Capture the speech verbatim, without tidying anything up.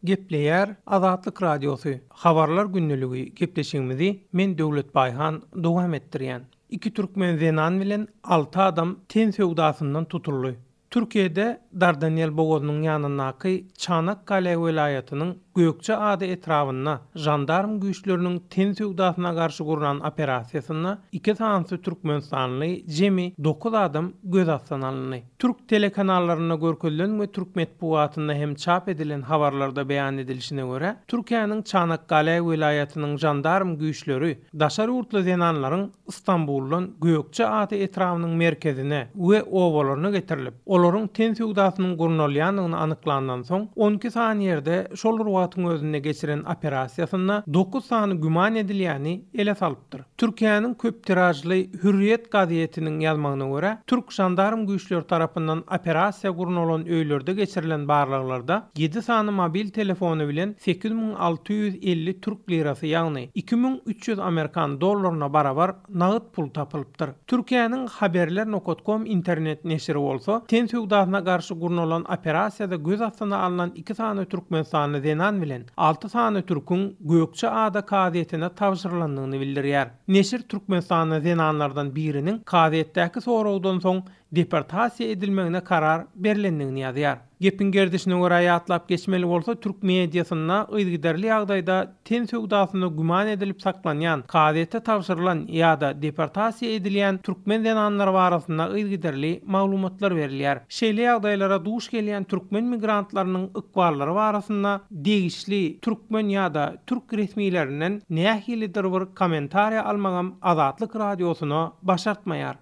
Gepleýär Azatlyk Radiosy, Habarlar gündeligi gepleşigimizi men Döwlet Baýhan dowam etdirýän. Iki türkmen zenan bilen alty adam ten söwdasyndan tutuldy. Türkiýede Dardanel bogazynyň ýanyndaky Çanakkale welaýatynyň Gökçe ada etrabynda jandarm güýçleriniň ten söwdasyna garşy gurnan operasiýasynda iki sanysy türkmenistanly jemi dokuz adam göz astyna alyndy. Türk telekanallarynda görkezilen we türk metbugatynda hem çap edilen habarlarda beýan edilişine görä, Türkiýäniň Çanakkale welaýatynyň jandarm güýçleri daşary ýurtly zenanlaryň Istanbuldan Gökçe ada etrabynyň merkezine we obalaryna getirilip, olaryň ten söwdasynyň gurnalýandygyny anyklandan soň on iki sany ýerde şol bir wagtyň özünde geçiren operasiýasynda dokuz sany güman edilýäni ele salypdyr. Türkiýäniň köp tirajly Hürriyet gazetiniň ýazmagyna görä, türk jandarm güýçleri tarapyndan operasiýa gurnalan öýlerde geçirilen barlaglarda ýedi sany mobil telefony bilen sekiz müň alty ýüz elli türk lirasy, ýagny iki müň üç ýüz amerikan dollaryna barabar nagt pul tapylypdyr. Türkiýäniň haberler nokta com internet neşiri bolsa, ten söwdasyna garşy gurnalan operasiýada göz astyna alynan iki sany türkmenistanly zenan bilen alty sany türküň Gökçe ada kazyýetine tabşyrylandygyny bildirýär. Neşir türkmenistanly zenanlardan biriniň kazyýetdäki soragdan soň deportasiýa edilmegine karar berilendigini ýazýar. Gepin gerdişine görä ýatlap geçmeli bolsa, türk mediasynda yzygiderli ýagdaýda ten söwdasynda güman edilip saklanýan, kazyýete tabşyrylan ýa-da deportasiýa edilýän türkmen zenanlary barasynda yzygiderli maglumatlar berilýär. Şeýle ýagdaýlara duş gelýän türkmen migrantlarynyň ykballary barasynda degişli türkmen ýa-da türk resmilerinden nähilidir bir kommentariýa almagam Azatlyk radiosyna başartmaýar.